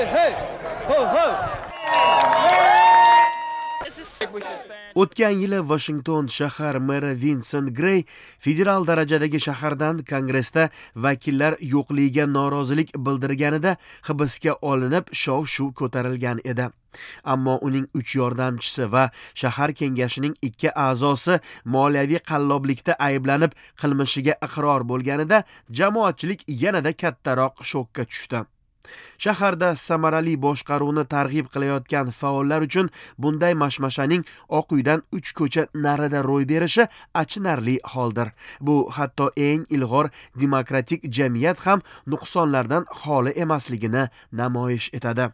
Hey, ho, ho. O'tgan yili Washington shahar meri Vincent Gray federal darajadagi shahardan Kongressda vakillar yo'qligiga norozilik bildirganida hibsga olinib, shov-shuv ko'tarilgan edi. Ammo uning 3 yordamchisi va shahar kengashining 2 a'zosi moliyaviy qalloblikda ayblanib qilmishiga iqror bo'lganida jamoatchilik yanada kattaroq shokka tushdi. Shaharda samarali boshqaruvni targ'ib qilayotgan faollar uchun bunday mashmashaning Oq uydan 3 ko'cha narida ro'y berishi achinarli holdir. Bu hatto eng ilg'or demokratik jamiyat ham nuqsonlardan xoli emasligini namoyish etadi.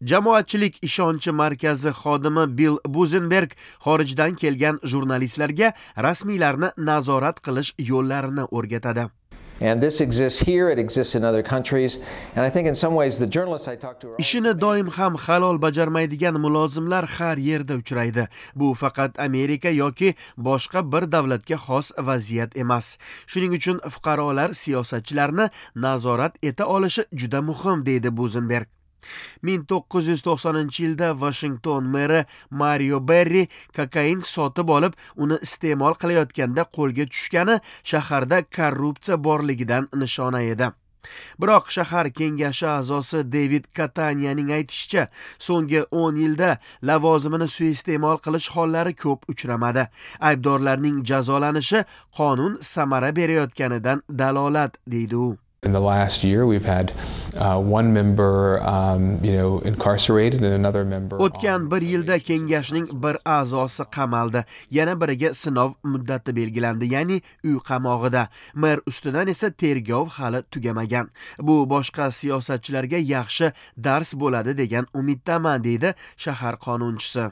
Jamoatchilik ishonchi markazi xodimi Bill Buzenberg xorijdan kelgan jurnalistlarga rasmiylarni nazorat qilish yo'llarini o'rgatadi. And this exists here, it exists in other countries, and I think in some ways the journalists I talk to are Ishini doim ham halol bajarmaydigan mulozimlar har yerda uchraydi. Bu faqat Amerika yoki boshqa bir davlatga xos vaziyat emas. Shuning uchun fuqarolar siyosatchilarni nazorat eta olishi juda muhim, deydi Buzenberg. 1990-yilda Washington meri Mario Berri kokain sotib olib, uni iste'mol qilayotganda qo'lga tushgani shaharda korrupsiya borligidan nishona edi. Biroq shahar kengashi a'zosi David Kataniyaning aytishicha, so'nggi 10 yilda lavozimini suiiste'mol qilish hollari ko'p uchramadi. Aybdorlarning jazolanishi qonun samara berayotganidan dalolat, deydi u. In the last year, we've had one member, incarcerated and another member. O'tgan bir yilda kengashning bir a'zosi qamaldi, yana biriga sinov muddati belgilandi, ya'ni uy qamog'ida. Mer ustidan esa tergov hali tugamagan. Bu boshqa siyosatchilarga yaxshi dars bo'ladi degan umiddaman, deydi shahar qonunchisi.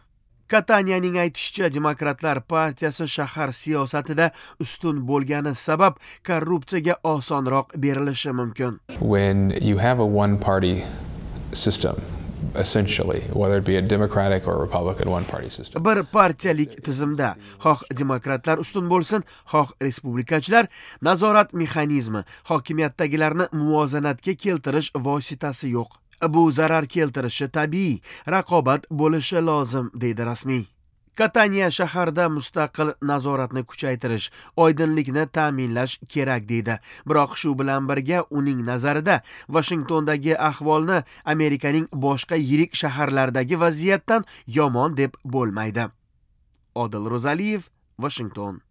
Kataniyaning aytishicha, Demokratlar partiyasi shahar siyosatida ustun bo'lgani sabab korrupsiyaga osonroq berilishi mumkin. When you have a one-party system, essentially, whether it be a Democratic or Republican one-party system. Bir partiyalik tizimda, xoh demokratlar ustun bo'lsin, xoh respublikachilar, nazorat mexanizmi, hokimiyatdagilarni muvozanatga keltirish vositasi yo'q. Bu zarar keltirishi tabiiy, raqobat bo'lishi lozim, deydi rasmiy. Kataniya shaharda mustaqil nazoratni kuchaytirish, oydinlikni ta'minlash kerak, deydi. Biroq shu bilan birga uning nazarida Washingtondagi ahvolni Amerikaning boshqa yirik shaharlaridagi vaziyatdan yomon deb bo'lmaydi. Odil Ro'zaliyev, Washington.